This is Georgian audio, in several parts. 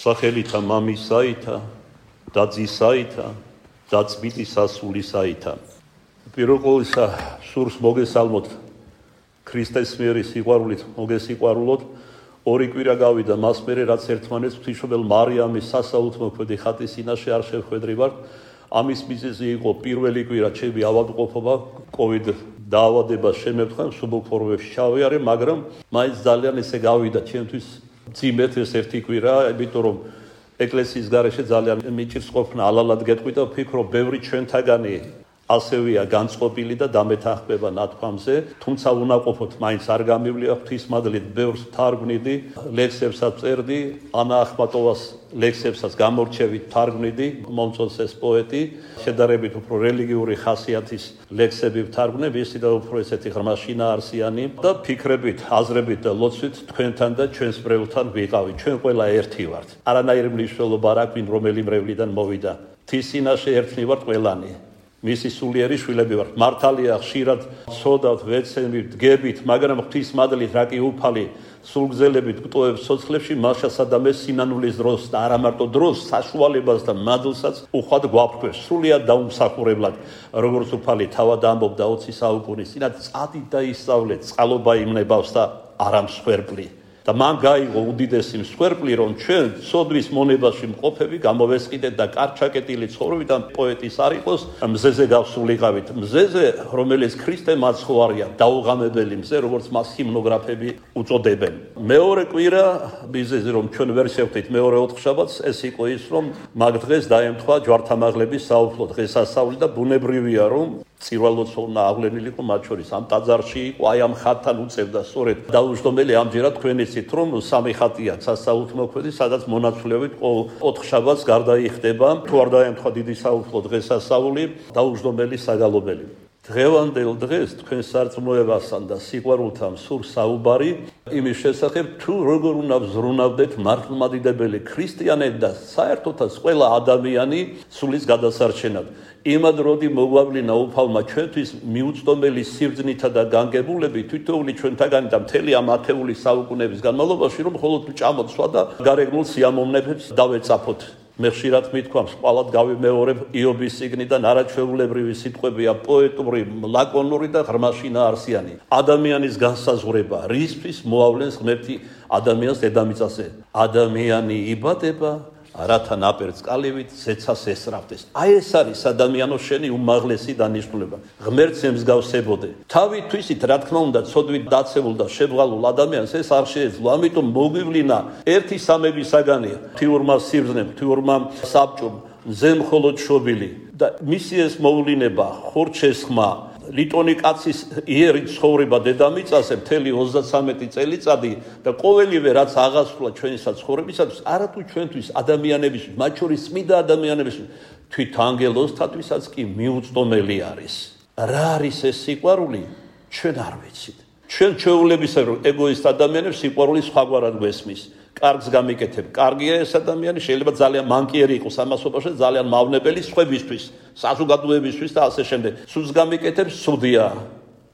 სახელითა მამისაითა და ძისაითა და წმინდის სასულისაითა. პირველ ყოვლისა სურს მოგესალმოთ ქრისტეს მიერი სიყვარულით მოგესიყვარულოთ. ორი კვირა გავიდა მას მერე რაც ერთმანეთს ღვთისმშობელ მარიამის სასაუთმოქმედი ხატის წინაშე არ შევხვედრივართ. ამის მიზეზი იყო პირველი კვირა ჩემი ავადმყოფობა COVID დაავადებას შემეფხა მსუბუქ ფორმებში ჩავიარე, მაგრამ მაინც ძალიან ესე გავიდა ჩემთვის მძიმედ ეს ერთი კვირა, იმიტომ რომ ეკლესიის გარეშე ძალიან მიჭირს ყოფნა ალალად გეტყვი და ვფიქრობ ბევრი ჩვენთაგანი ასევეა განწყობილი და დამეთანხმება ნათქვამზე, თუმცა უნაყოფოდ მაინც არ გამივლია ღვთისმადლით ბევრს თარგმნიდი, ლექსებსაც წერდი, ანა ახმატოვას ლექსებსაც გამორჩევით თარგმნიდი, მომწონს ეს პოეტი, შედარებით უფრო რელიგიური ხასიათის ლექსები ვთარგმნე, ვისი და უფრო ესეთი ღრმა შინაარსიანი და ფიქრებით, აზრებით და ლოცვით თქვენთან და ჩვენს მრევლთან ვიყავი. ჩვენ ყველა ერთი ვართ. არანაირი მნიშვნელობა არ აქვს, რომელი მრევლიდან მოვიდა. ღვთის წინაშე ერთნი ვართ ყველანი. მისი სულიერი შვილები ვართ. მართალია ხშირად ცოდავთ, ვეცემით, დგებით, მაგრამ ღვთისმადლით რა კი უფალი სულგზელებით გვტოვებს სოცხლებში, მაშასა და მე სინანულის დროს და არა მარტო დროს, საშუალებას და მადლსაც უხვად გვაფრქვევს. სრულიად დაუმსახურებლად, როგორც უფალი თავად ამბობდა 20 საუკუნის წინათ, წადით და ისწავლეთ, წყალობა იმნებავს და არა მსხვერპლი. და მან გაიგო უდიდესი მსხვერპლი, რომ ჩვენ სოდვის მონებაში მყოფები გამოვესყიდეთ და კარჩაკეტილი ცხოვრებიდან პოეტის არ იყოს, მზეზე გავსულიყავით. მზეზე, რომელიც ქრისტე მაცხოვარია, დაუღამებელი მზე, როგორც მას ჰიმნოგრაფები უწოდებენ. მეორე კვირა, მიზეზი რომ ჩვენ ვერ შევხვდით მეორე ოთხშაბათს, ეს იყო ის, რომ მაგ დღეს დაემთხვა ჯვართამაღლების საუფლო დღესასწაული და ბუნებრივია, რომ წირვალოცოვნა აღვლენილიყო მათ შორის ამ ტაძარში იყო, აი ამ ხატთან უწევდა სწორედ დაუჯდომელი ამჯერად თქვენ იცით, რომ სამი ხატია სასაუთმოქმედი, სადაც მონაცვლეობით ყოველ ოთხშაბათს გარდაიხდება, თუ არ დაემთხვა დიდი საუფლო დღესასწაული, დაუჯდომელი საგალობელი. დღევანდელ დღეს თქვენ სარწმუნოებასთან და სიყვარულთან სურს საუბარი იმის შესახებ, თუ როგორ უნდა ვზრუნავდეთ მართლმადიდებელი ქრისტიანები და საერთოდაც ყველა ადამიანი სულის გადასარჩენად. იმად როდი მოგვავლინა უფალმა ჩვენთვის მიუწვდომელი სიბრძნითა და განგებულებით თითოეული ჩვენთაგანი და მთელი ამ ათეული საუკუნეების განმავლობაში, რომ მხოლოდ ჭამოცვა და გარეგნულ სიამოვნებებს დავეწაფოთ. მე ხშირად მithქვამს, ყვალად გავიმეორებ იობის წიგნიდან არაჩვეულებრივი სიტყვებია, პოეტური, ლაკონური და ღრმა შინაარსიანი. ადამიანის განსაზღვრება, რისთვის მოავლენს ღმერთი ადამიანს დედამიწაზე. ადამიანი იბადება, რათა ნაპერწკალივით ზეცას ესწრაფდეს. აი ეს არის ადამიანო შენი უმაღლესი დანიშნულება. ღმერთს ემსგავსებოდე. თავითვისით, რა თქმა უნდა, ცოდვით დაცებულ და შებრალულ ადამიანს ეს არ შეეძლო. ამიტომ მოგვივლინა ერთი სამები საგანია. ღვთიურმა სიბრძნემ, ღვთიურმა საბჭომ, მზე მხოლოდ შობილი და მისი ეს მოვლინება, ხურჩესხმა, ლიტონი კაცის იერი ცხოვრება დედამიწაზე მთელი 33 წელიწადი და ყოველივე რაც აღასრულა ჩვენი საცხოვრებისათვის, არათუ ჩვენთვის ადამიანებისთვის, მათ შორის წმინდა ადამიანებისთვის, თვით ანგელოზთათვისაც კი მიუწვდომელი არის. რა არის ეს სიყვარული? ჩვენ არ ვიცით. ჩვენ ჩვეულებისა რომ ეგოისტ ადამიანებს სიყვარული სხვაგვარად გვესმის. კარგს გამიკეთებ, კარგია ეს ადამიანი, შეიძლება ძალიან მანკიერი იყოს ამასობაში, ძალიან მავნებელი სხვებისთვის, საზოგადოებისთვის და ასე შემდეგ. სულს გამიკეთებ, სუდია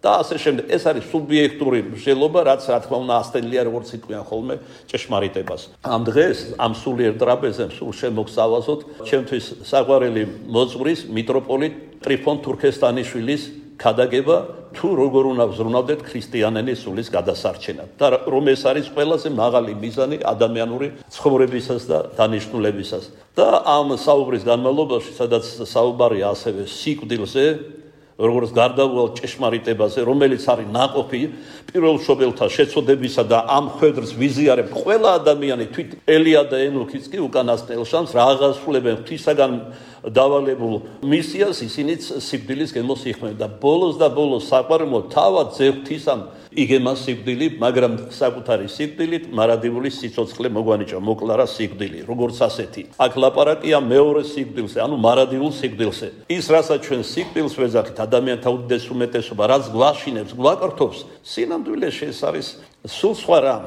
და ასე შემდეგ. ეს არის სუბიექტური მსჯელობა, რაც რა თქმა უნდა ასწელია, როგორც იტყვიან ხოლმე ჭეშმარიტებას. ამ დღეს ამ სულიერ ტრაპეზებს სულ შემოგსავაზოთ ჩემთვის საყვარელი მოძღვრის მიტროპოლიტ ტრიფონ თურქესტანიშვილის ქადაგება, თუ როგორ უნდა ვზრუნავდეთ ქრისტიანების სულის გადასარჩენად და რომ ეს არის ყველაზე მაღალი მიზანი ადამიანური ცხოვრებისას და დანიშნულებისას. და ამ საუბრის განმავლობაში, სადაც საუბარია ასევე სიკვდილზე, როგორც გარდაუვალ ჭეშმარიტებაზე, რომელიც არის ნაყოფი პირველშობილთა შეცოდებისა და ამ ხვედრს ვიზიარებ ყველა ადამიანი, თვით ელია და ენოქიც კი უკანასკნელ შანს რა აღასრულებენ ღვთისაგან დავალებულ მისიას, ისინიც სიკვდილის გემოს იხმენ და ბოლოს და ბოლოს საყვარემო თავად ზეღვთისამ იგემა სიკვდილი, მაგრამ საკუთარი სიკვდილით მარადიული სიცოცხლე მოგვანიჭა, მოკლარა სიკვდილი, როგორც ასეთი. აქ ლაპარაკია მეორე სიკვდილზე, ანუ მარადილულ სიკვდილზე. ის, რასაც ჩვენ სიკვდილს ვეძახით, ადამიანთა უდიდეს უმეტესობა, რაც გვაშინებს, გვაკრთობს, სინამდვილეში ეს არის სულ სხვა რამ.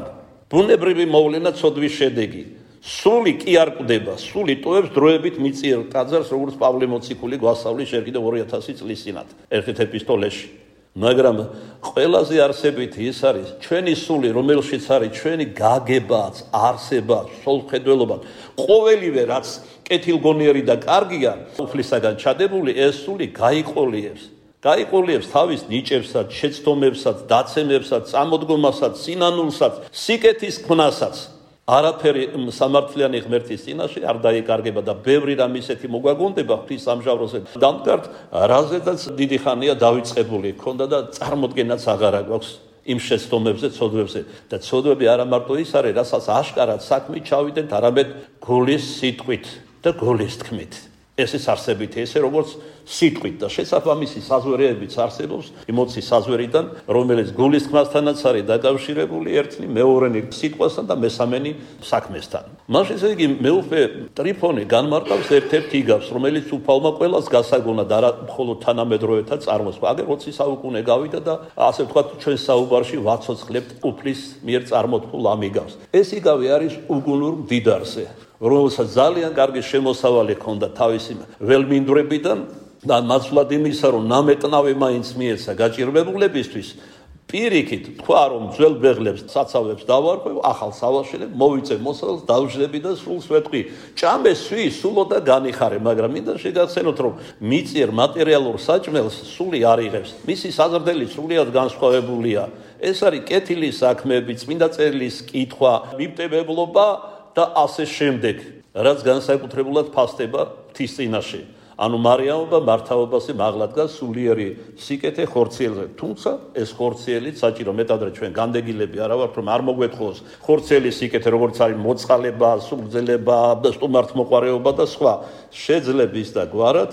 ბუნებრივი მოვლენა ცოდვის შედეგი. სული კი არ კვდება, სული ტოვებს დროებით მიწიერ ტაძარს, როგორც პავლე მოციქული გვასწავლის ჯერ კიდევ 2000 წლის წინათ, ერთ-ერთ ეპისტოლეში. მაგრამ ყველაზე არსებითი ის არის ჩვენი სული, რომელშიც არის ჩვენი გაგებაც, არსებაც, სულხედველობა, ყოველივე რაც კეთილგონიერი და კარგია, უფლისაგან ჩადებული, ეს სული გაიყოლიებს თავის ნიჭებსაც, შეცდომებსაც, დაცემებსაც, წამოდგომასაც, სინანულსაც, სიკეთის ქმნასაც. არაფერი სამართლიანი ღმერთის წინაშე არ დაიკარგება და ბევრი რამ ისეთი მოგვაგონდება ღვთის სამჟავროზე. დამდგართ, რაზედაც დიდი ხანია დავიწყებული ქონდა და წარმოდგენაც აღარა გვაქვს იმ შეცდომებზე, ცოდვებზე. და ცოდვები არა მარტო ის არის, რასაც აშკარად საქმით ჩავიდეთ, არამედ გულის სიტყვით და გულის თქმით. ეს ის არსებითი, ესე როგორც სიტყვით და შესაბამისი საზვერებიც არსებობს ემოციის საზვერიდან, რომელიც გულის თქმასთანაც არის დაკავშირებული ერთნი მეორენი სიტყვასთან და მესამენი საქმესთან. მაშინ ესე იგი მეუფე ტრიფონი განმარტავს ერთ-ერთ იგავს, რომელიც უფალმა ყველას გასაგონა და არა მხოლოდ თანამედროვეთა წარმოსვა. აგერ 20 საუკუნე გავიდა და ასე ვთქვათ ჩვენ საუბარში ვაცოცხლებთ უფლის მიერ წარმოთქმულ ამ იგავს. ეს იგავი არის უგუნურ მდიდარზე, რომელსაც ძალიან კარგი შემოსავალი ჰქონდა თავისი ველმინდვრებიდან და მაცვლად იმისა, რომ ნამეტნავე მაინც მიეცა გაჭირვებულებისთვის, პირიქით თქვა, რომ ძველ ბეღლებს საცავებს დავარქვევ, ახალ სავაშელებ, მოვიწევ მოსავალს, დავждები და სულს ვეთქვი. ჭამე სვი, სულო და განიხარე, მაგრამ მინდა შეგახსენოთ, რომ მიწიერ მატერიალურ საჭმელს სული არ იღებს. მისი საზრდელი სრულიად განსხვავებულია. ეს არის კეთილი საქმეები, წმინდა წერილის კითხვა, მიბტებებლობა და ასე შემდეგ, რაც განსაკუთრებულად ფასდება ღვთის წინაშე. ანუ მარიამობა მართაობაზე მაღლა დგას სულიერი სიკეთე ხორციელზე. თუმცა ეს ხორციელიც საჭირო მეტადრე ჩვენ განდეგილები არა ვართ, რომ არ მოგვეთხოს ხორციელი სიკეთე, როგორც არის მოწყალება, სულგძელება, სტუმართმოყვარეობა და სხვა. შეძლების და გვარად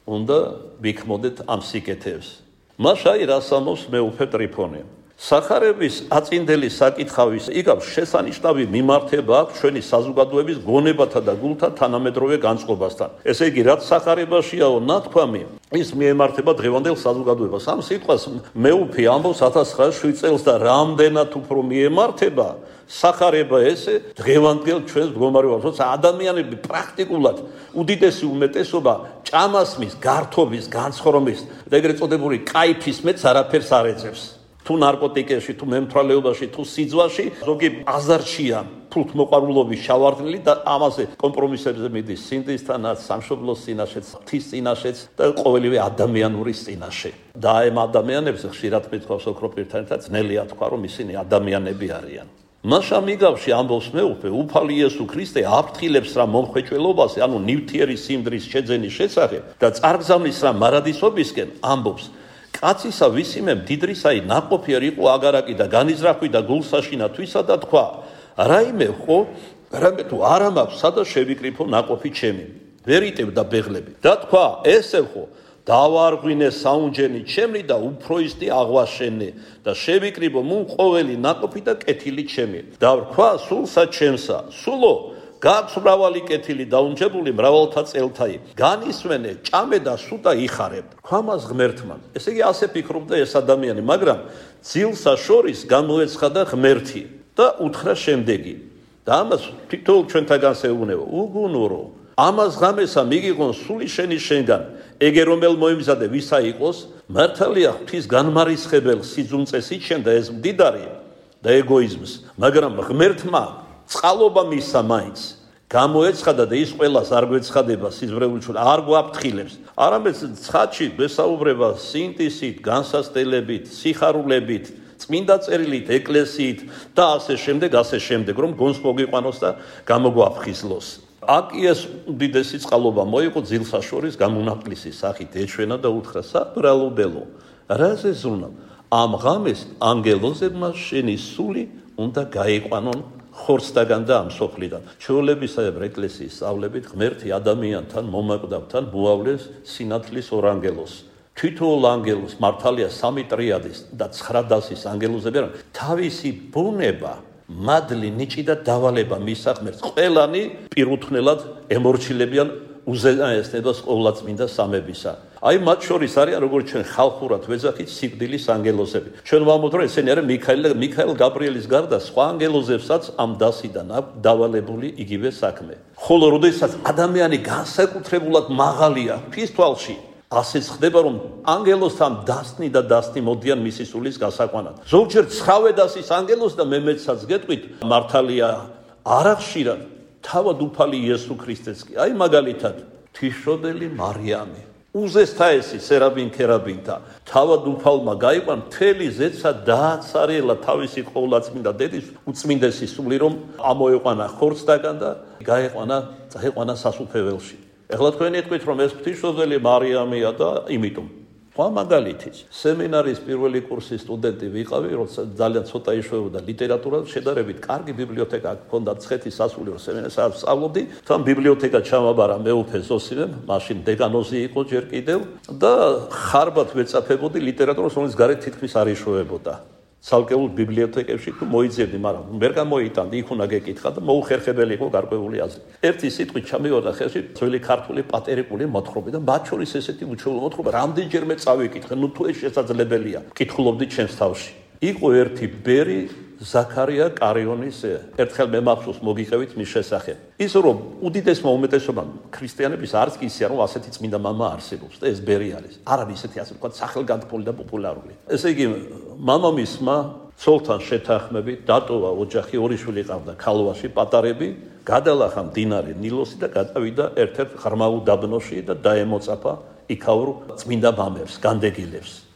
უნდა ვიქმოდეთ ამ სიკეთეებს. მაშინ რას ამბობს მეუფე ტრიფონი? სახარების აწინდელი საკითხავის იგავს შესანიშნავი მიმართება აქვს ჩვენი საზოგადოების გონებათა და გულთა თანამედროვე განწყობასთან. ესე იგი, რაც სახარებაშიაო ნათქვამი, ის მიემართება დღევანდელ საზოგადოებას. ამ სიტყვას მეუფე ამბობს 1907 წელს და რამდენად უფრო მიემართება სახარება ესე დღევანდელ ჩვენს მდგომარეობას, როცა ადამიანები პრაქტიკულად უდიდესი უმეტესობა ჭამასმის, გართობის, განცხრომის და ეგრეთ წოდებული კაიფის მეც არაფერს არ ეწევს. თუ ნარკოტიკებში, თუ მემთვალეობაში, თუ სიძვაში, ზოგი აზარშია ფულთმოყვარულობის შავარდნილი და ამაზე კომპრომისებზე მიდის სინდისთანაც, სამშობლოს წინაშეც, ღვთის წინაშეც და ყოველივე ადამიანურის წინაშე. და ამ ადამიანებს ხშირად მithქვავს ოქროპირთან ერთად ძნელია თქვა, რომ ისინი ადამიანები არიან. მაშამ იგავში ამბობს მეუფე, უფალი იესო ქრისტე აფრთხილებს რა მომხვეჭველობაზე, ანუ ნივთიერი სიმდრის შეძენის შესახებ და წარგზავნის რა მარადისობისკენ ამბობს. კაცისა ვისიმე მდიდრისაი ნაყოფი არ იყო აგარაკი და განიზრახვი და გულსაშინა თვისა და თქვა, რაიმე ხო, რამე თუ არ ამაქვს, სადა შევიკრიფო ნაყოფი ჩემი, ვერ იტევდა ბეღლები და თქვა, ესე ხო, დავარღვინე საუნჯენი ჩემი და უფროისტი აღვაშენე და შევიკრიბო მუნ ყოველი ნაყოფი და კეთილი ჩემი და ვქვა სულსა ჩემსა, სულო გაქვს მრავალი კეთილი დაუნჯებული მრავალთა წელთაი. განისვენე, ჭამე და სუდა იხარებ. ქვამას ღმერთმა. ესე იგი ასე ფიქრობდა ეს ადამიანი, მაგრამ ძილსა შორის გამოეცხადა ღმერთი და უთხრა შემდეგი. და ამას თითოეულ ჩვენთაგან შეუნევა. უგუნურო. ამას ღამესა მიგიღონ სული შენი შენგან. ეგე რომელ მოიმზადე ვისა იყოს, მართალია ღვთის განმარისხებელ სიძუნწეს იჩენდა ეს მდიდარი და ეგოიზმს, მაგრამ ღმერთმა წყალობა მისცა მაინც. გამოეცხადა და ის ყველას არ გვეცხადება სიზმრეულში, არ გვაფრთხილებს. არამედ ცხადში გვესაუბრება სინტისით, განსასწელებით, სიხარულებით, წმინდა წერილით, ეკლესიით და ასე შემდეგ, რომ გონს მოგიყვანოს და გამოგვაფხიზლოს. აქ ეს უდიდესი წყალობა მოიყო ძილსა შორის გამონაკლისის სახით ეჩვენა და უთხრა, საბრალობელო, რა ზეზუნა? ამ ღამეს ანგელოზებმა შენი სული უნდა გაიყვანონ ხორცდაგან და ამ სოფლიდან. ჩვეულებისაებ ეკლესიის სწავლებით ღმერთი ადამიანთან, მომაკვდავთან მოავლეს სინათლის ორანგელოს. თითოეულ ანგელოს მართალია სამი ტრიადის და 9 დასის ანგელოზები არიან. თავისი ბუნება, მადლი, ნიჭი და დავალება მისცა ღმერთს. ყველანი პირუთვნელად ემორჩილებიან უზენაესნებას ყოვლადწმინდა სამებისა. აი მათ შორის არიან როგორც ჩვენ ხალხურად ვეძახით სიკვდილის ანგელოზები. ჩვენ ვამბობთ რომ ესენი არიან მიქაელ გაბრიელის გარდა სხვა ანგელოზებსაც ამ დასიდან აქვს დავალებული იგივე საქმე. ხოლო როდესაც ადამიანი განსაკუთრებულად მაღალია ღვთის თვალში, ასეც ხდება, რომ ანგელოსთან დასნი და დასნი მოდიან მისი სულის გასაყვანად. ზოგჯერ ცხოვედასის ანგელოს და მე მეცაც გეტყვით, მართალია არა ხშირად თავად უფალი იესო ქრისტეც კი. აი მაგალითად, თვისშობელი მარიამი. უზესთაესი სერაბინ ქერაბინთა თავად უფალმა გაიყვან მთელი ზეცა დააცარელა თავისი ყოვლადწმინდა დედის უწმინდესი სული რომ ამოეყვანა ხორცდაგან და გაეყვანა სასუფეველში. ეხლა თქვენ იტყვით რომ ეს ღვთისმშობელი მარიამია და იმიტომ სხვა მაგალითიც სემინარის პირველი კურსის სტუდენტი ვიყავი, როცა ძალიან ცოტა იშვებოდა ლიტერატურა, შედარებით კარგი ბიბლიოთეკა ჰქონდა მცხეთის სასულიერო სემინარიაში სწავლობდი, თან ბიბლიოთეკა ჩამაბარა მეუფე ზოსიმემ, მაშინ დეგანოზი იყო ჯერ კიდევ და ხარბად ვეწაფებოდი ლიტერატურას, რომელიც გარეთ თითქმის არ იშვებოდა. ცალკეულ ბიბლიოთეკებში თუ მოიძებდი, მაგრამ ვერ გამოიტანდი, იქ უნდა გეკითხა და მოუხერხებელი იყო გარკვეული აზრი. ერთი სიტყვით ჩამივარდა ხელში ძველი ქართული პატერიკული მოთხრობა და მათ შორის ესეთი უჩვეულო მოთხრობა რამდენჯერმე წავიკითხე, ნუ თუ ეს შესაძლებელია, კითხულობდი ჩემს თავში. იყო ერთი ბერი ზაქარია კარიონის ერთხელ მე მახსოვს მოგიყევით მის შესახებ. ის რომ უდიდესმა უმეტესობამ ქრისტიანების არც კი ისე რომ ასეთი წმინდა მამა არსებობს და ეს ბერი არის. არ არის ისეთი ასე ვთქვათ სახელგანთქმული და პოპულარული. ესე იგი მამამისმა ცოლთან შეთანხმებით დატოვა ოჯახი, ორი შვილი ყავდა ქალვაში პატარები, გადალახა მდინარე ნილოსი და გადავიდა ერთ-ერთ ღრმაულ დაბნოში და დაემოწაფა იქაურ წმინდა მამებს, განდეგილებს.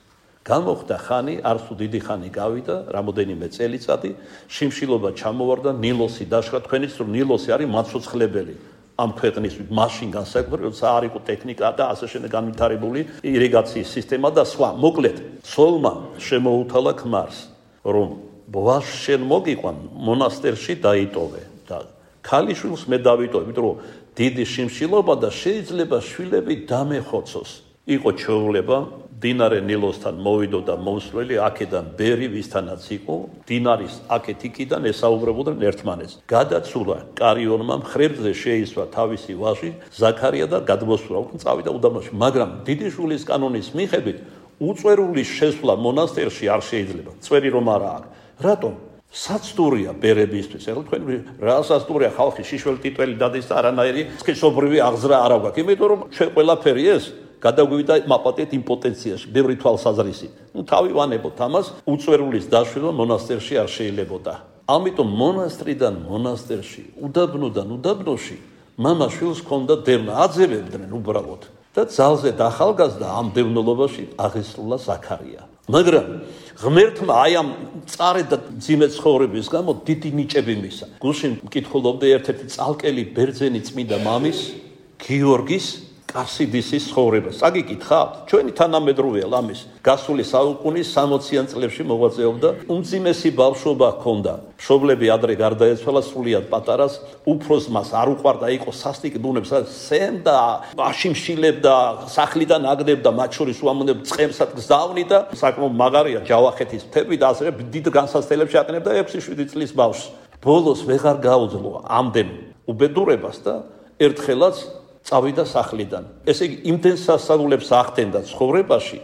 გამოხდა ხანი, არც თუ დიდი ხანი გავიდა, რამოდენიმე წელიწადი, შიმშილობა ჩამოვარდა, ნილოსი დაშრა. თქვენიც რომ ნილოსი არის მაცოცხლებელი ამ ქვეყნის მაშინ განსაკუთრებით, როცა არ იყო ტექნიკა და ასე შემდეგ განვითარებული ირიგაციის სისტემა და სხვა. მოკლედ, ცოლმა შემოუთალა ქმარს, რომ ბოას შენ მოგიყვან მონასტერში დაიტოვე და ქალიშვილს მე დავიტოვე, იმიტომ რომ დიდი შიმშილობა და შეიძლება შვილები დამეხოცოს. იყო ჩვეულება დინარე ნილოსთან მოვიდო და მოსვლელი აქედან ბერი ვისთანაც იყო დინარის აქეთ იქიდან ესაუბრებოდნენ ერთმანეთს. გადაცულა კარიონმა მხრებზე შეისვა თავისი ვაჟი ზაქარია და გადმოსულა უკან წავიდა უდაბნოში, მაგრამ დიდი შვილის კანონის მიხედვით უწვერული შესვლა მონასტერში არ შეიძლება. წვერი რომ არა აქვს. რატომ? საცდურია ბერებისთვის. ეხლა თქვენ რა საცდურია ხალხი შიშველ ტიტველი დადის და არანაირი სქესობრივი აღზრა არ აქვს. იმიტომ რომ ჩვენ ყველაფერი ეს გადაგვივიდა მაპატეთ იმპოტენციაში, ბევრი თვალსაზრისით. თავი ვანებოთ ამას, უწვერულის დაშვება მონასტერში არ შეიძლებოდა. ამიტომ მონასტრიდან მონასტერში, უდაბნოდან უდაბნოში მამა შვილს ჰქონდა დევნა, აძევებდნენ უბრალოდ. და ძალზე დახალგაზრდა ამ დევნილობაში აღესრულა ზაქარია. მაგრამ ღმერთმა აი ამ წარედ და ძიმე ცხოვრების გამო დიდი ნიჭები მისცა. გუშინ მკითხულობდი ერთ-ერთი წალკელი ბერძენი წმინდა მამის, გიორგის კარსიდისის ცხოვრებას. აგიკითხავთ? ჩვენი თანამედროვეა ლამის. გასული საუკუნის 60-იან წლებში მოღვაწეობდა, უმძიმესი ბავშვობა ჰქონდა. მშობლები ადრე გარდაეცვალა, სრულიად პატარას, უფროს მას არ უყვარდა, იყო სასტიკ ბუნებს, სემდა, აშიმშილებდა, სახლიდან აგდებდა, მათ შორის უამონებ წყემსად გზავნი და საკმაოდ მაგარია ჯავახეთის მთები და ასე დიდ განსასწრებლებში აკნებდა 6-7 წლის ბავშვს. ბოლოს ვეღარ გაუძლო ამდენ უბედურებას და ერთხელაც წავიდა სახლიდან. ესე იგი იმდენ სასწაულებს ახდენდა ცხოვრებაში,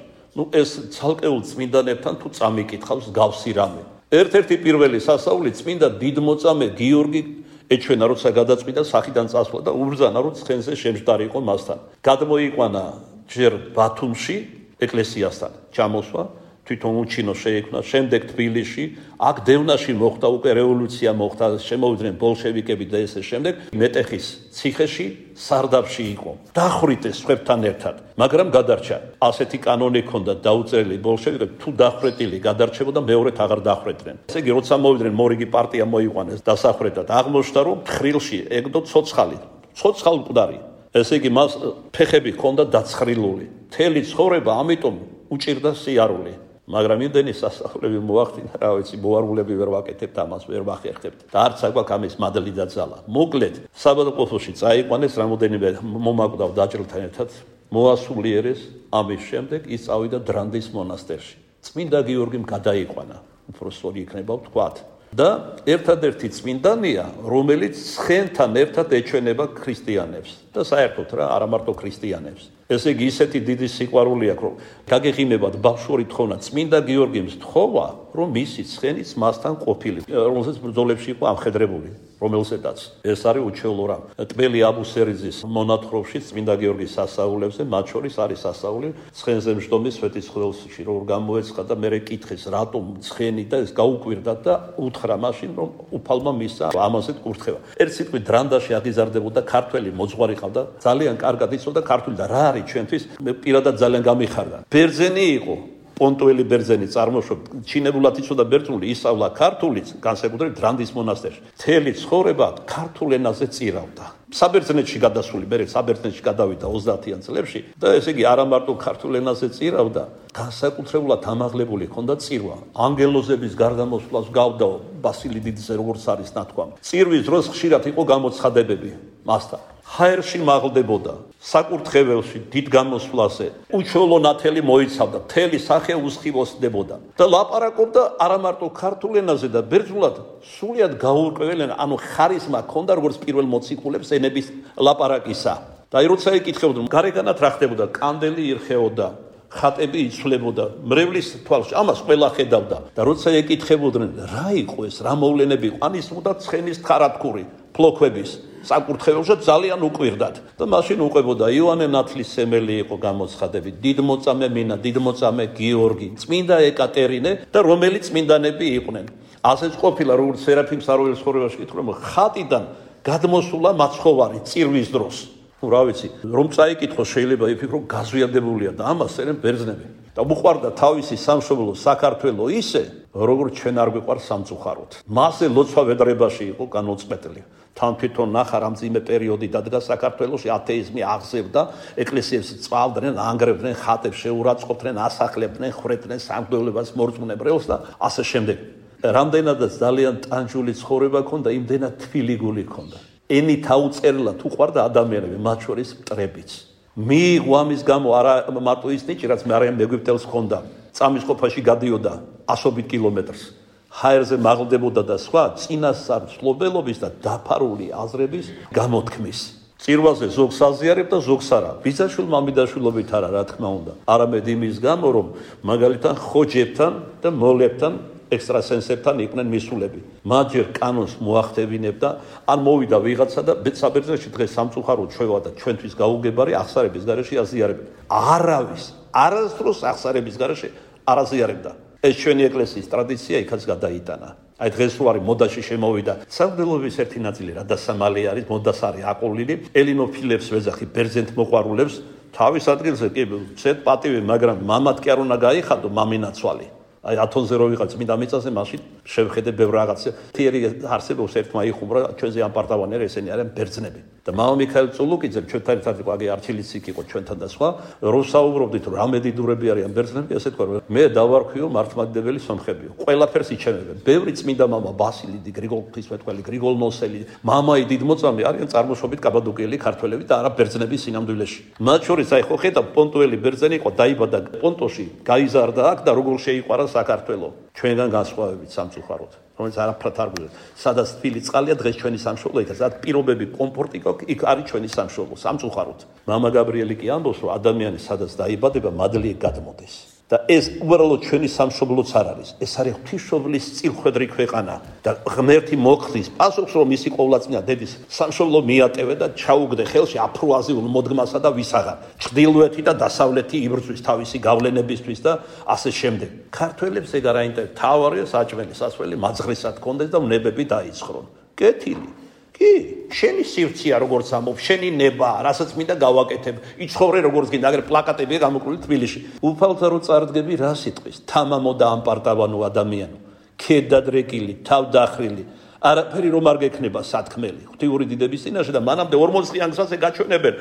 ეს ცალკეულ წმინდანებთან თუ წამიკითხავს გავსი რამე. ერთ-ერთი პირველი სასწაული წმინდა დიდმოწამე გიორგი ეჩვენა, როცა გადაწყვიტა სახიდან წასვლა და უბრძანა, რომ ცხენზე შემჯდარი იყო მასთან. გადმოიყვანა ჯერ ბათუმში ეკლესიასთან ჩამოსვა, თვითონ უჩინო შეიქმნა, შემდეგ თბილისში, აქ დევნაში მოხდა უკვე რევოლუცია მოხდა, შემოვიდნენ ბოლშევიკები და ესე შემდეგ, მეტეხის ციხეში, სარდაფში იყო. დახვრიტეს სხვებთან ერთად, მაგრამ გადარჩა. ასეთი კანონი ჰქონდა დაუწერილი ბოლშევიკები, თუ დახვრეტილი გადარჩებოდა, მეორედ აღარ დახვრეტდნენ. ესე იგი, როცა მოვიდნენ მორიგი პარტია მოიყვანეს დასახვრეტად, აღმოჩნდა, რომ თხრილში ეგდო ცოცხალი, ცოცხალ მკვდარი. ესე იგი, მას ფეხები ჰქონდა დაცხრილული. მთელი ცხოვრება ამიტომ უჭირდა სიარული. მაგრამ იმდენი სასახლები მოახდინა, რა ვიცი, მოარულები ვერ ვაკეთებთ ამას, ვერ ვახერხებთ. და არც აგვაქვს ამის მადლი და ძალა. მოკლედ, საბადოყოფოში წაიყვანეს, რამოდენიმე მომაკვდავ დაჭრილთან ერთად, მოასულიერეს, ამის შემდეგ ის წავიდა დრანდის მონასტერში. წმინდა გიორგიმ გადაიყვანა, უпроსორი იქნება ვთქვათ. და ერთადერთი წმინდანია, რომელიც ცხენთან ერთად ეჩვენება ქრისტიანებს და საერთოდ რა, არა მარტო ქრისტიანებს. ესე იგი, ისეთი დიდი სიყვარული აქვს, რომ გაგეღიმებათ ბავშვური თხოვნა, წმინდა გიორგიმს თხოვა რომ მისი ცხენიც მასთან ყოფილი, რომელსაც ბრძოლებში იყო ამხედრებული, რომელსაც ეს არის უჩვეულო რამ. ტბელი აბუსერიძის მონათხრობში წმინდა გიორგის სასაულებზე მათ შორის არის სასაული ცხენზე მжდომის სვეტიცხოველში, რომ გამოეცხა და მე კითხეს, რატომ ცხენი და ეს გაუკვირდა და უთხრა მაშინ, რომ უფალმა მისცა ამაზე კურთხევა. ერთ სიტყვით დრანდაში აღიზარდებოდა ქართველი მოძღვარი ყავდა, ძალიან კარგად იცოდა ქართული და რა არის ჩვენთვის, მე პირადად ძალიან გამიხარდა. ბერძენი იყო პონტუელი ბერძენი წარმოშობ, ჩინებულად იცოდა ბერძნული, ისწავლა ქართულიც, განსაკუთრებით დრანდის მონასტერში. მთელი ცხოვრება ქართულ ენაზე წირავდა. საბერძნეთში გადასული, მე საბერძნეთში გადავიდა 30-იან წლებში და ესე იგი არა მარტო ქართულ ენაზე წირავდა, განსაკუთრებულად ამაღლებული ჰქონდა წირვა. ანგელოზების გარდამოსვლას გავდა ბასილი დიდზე, როგორც არის ნათქვამი. წირვის დროს ხშირად იყო გამოცხადებები მასთან. ჰაერში მაღლდებოდა, საკურთხეველში დიდ გამოსვლაზე, უჩვეულო ნათელი მოიცავდა, მთელი სახე უსხივოსდებოდა და ლაპარაკობდა არა მარტო ქართულ ენაზე და ბერძნულად, სრულიად გაურკვეველი ენა, ანუ ხარისმა ჰქონდა როგორც პირველ მოციქულებს ენების ლაპარაკისა. და როცა ეკითხებოდნენ, გარეგანად რა ხდებოდა, კანდელი ირხეოდა, ხატები იცვლებოდა, მრევლის თვალში, ამას ყველა ხედავდა და როცა ეკითხებოდნენ, რა იყო ეს, რა მოვლენები იყო, ანისმოდა ცხენის თხარათქური, ფლოქვების საკურთხეველში ძალიან უკვირდათ და მაშინ უყვებოდა იოანე ნათლის სემელი იყო გამოცხადები, დიდმოწამე მინა, დიდმოწამე გიორგი, წმინდა ეკატერინე და რომელი წმინდანები იყვნენ. ასეც ყოფილა როგორც სერაფიმ საროველის ხორევაში კითხულობ, ხატიდან გადმოსულა მაცხოვარი წირვის დროს. რა ვიცი, რომ წაიკითხო შეიძლება იფიქრო გაზვიადებულია და ამას წერენ ბერძნები. და უყვარდა თავისი სამშობლო საქართველო ისე, როგორც ჩვენ არ გვიყვარს სამწუხაროდ. მასზე ლოცვა ვედრებაში იყო განუწყვეტლი. თან თვითონ ნახა რა მძიმე პერიოდი დადგა საქართველოში, ათეიზმი აღზევდა, ეკლესიებს წვალდნენ, ანგრევდნენ, ხატებს შეურაცხყოფდნენ, ასახლებდნენ, ხრედნენ სამღვდელობას, მორწმუნებრებს და ასე შემდეგ. რამდენადაც ძალიან ტანჯული ცხოვრება ჰქონდა, იმდენად თბილი გული ჰქონდა. ენით აუწერლად უყვარდა ადამიანები, მათ შორის მტრებიც. მიიღო ამის გამო არა მარტო ის ნიჭი, რაც მარიამ ეგვიპტელს ჰქონდა, წამის ყოფაში გადიოდა 100 კილომეტრს. ჰაერზე მაღლდებოდა და სხვა წინასწარ მცლობელობის და დაფარული აზრების გამოთქმის. წირვაზე ზოგს აზიარებდა, ზოგს არა. ბიძაშვილ მამიდაშვილობით არა, რა თქმა უნდა. არამედ იმის გამო, რომ მაგალითად ხოჯებთან და მოლებთან ექსტრასენსებთან იყვნენ მისულები. მათ ჯერ კანონს მოახდევინებდა, ან მოვიდა ვიღაცა და საბერძნეთში დღეს სამწუხარო ჩვევა და ჩვენთვის გაუგებარი აღსარების გარეშე აზიარებდა. არავის, არასდროს აღსარების გარეშე არ აზიარებდა. ეს ჩვენი ეკლესიის ტრადიცია იქაც გადაიტანა. აი დღეს რო არის მოდაში შემოვიდა სამღვდელოების ერთი ნაწილი, რადასამალე არის, მოდას არის აყოლილი, ელინოფილებს ვეძახი, ბერძენთ მოყვარულებს თავის ადგილზე კი ცეთ პატივი, მაგრამ მამად კი არ უნდა გაიხადო მამინაცვალი. აი ათონზე რო ვიყავ წმინდა მიწაზე, მაშინ შევხედე ბევრ რაღაცა. თიერი არსებობს ერთმა იხუმრა ჩვენზე ამ პარტავანერე, ესენი არიან ბერძნები. და მამა მიქაელ წულუკიძე ჩვენთან ერთად იყო, აგი არჩილიციკ იყო ჩვენთან და სხვა, რო საუბრობდით რომ რა მედიდურები არიან ბერძნები, ასე თქვა, მე დავარქვიო მართლმადიდებელი სომხებიო. ყველაფერს იჩემებენ. ბევრი წმინდა მამა ბასილიდი, გრიგოლ ღვთისმეტყველი, გრიგოლ ნოსელი, მამაი დიდმოწამე არიან წარმოშობით კაბადოკიელი ქართველები და არა ბერძნები სინამდვილეში. მათ შორის აი ხო ხედავ პონტუელი ბერძენი იყო, დაიბადა პონტოში, გაიზარდა აქ და როგორ შეიყვარა საქართველო ჩვენგან განსხვავებით სამწუხაროდ, რომელიც არაფრად არ გვიყვარს. სადაც თბილი წყალია დღეს ჩვენი სამშობლო იქ, სადაც პირობები, კომფორტი იქ არის ჩვენი სამშობლო სამწუხაროდ. მამა გაბრიელი კი ამბობს, რომ ადამიანი სადაც დაიბადება, მადლი გადმოდეს. და ეს უბრალოდ ჩვენი სამშობლოც არ არის. ეს არის ღვთისმშობლის წილხვედრი ქვეყანა და ღმერთი მოხდის პასუხს, რომ ისი ყოვლადწმინდა დედის სამშობლო მიატევე და ჩაუგდე ხელში აფროაზიულ მოდგმასა და ვისაღარ. ჩრდილოეთი და დასავლეთი იბრძვის თავისი გავლენებისთვის და ასე შემდეგ. ქართველებს ეგ არ აინტერესებს. თავარია საჭმელი, სასველი მაძღრისად კონდეს და ვნებები დაიცხრონ. კეთილი. კი, შენი სივრცეა როგორც ამობ, შენი ნება, რასაც მინდა გავაკეთებ. იცხოვრე როგორც გინდა, აგერ პლაკატებია გამოკრული თბილისში. უფალთა რო წარდგები რა სიტყვის? თამამო და ამპარტავანო ადამიანო. ქედადრეკილი, თავდახრილი. არაფერი რომ არ გექნება სათქმელი. ღვთიური დიდების წინაშე და მანამდე 40 წლიან გზაზე გაჩვენებენ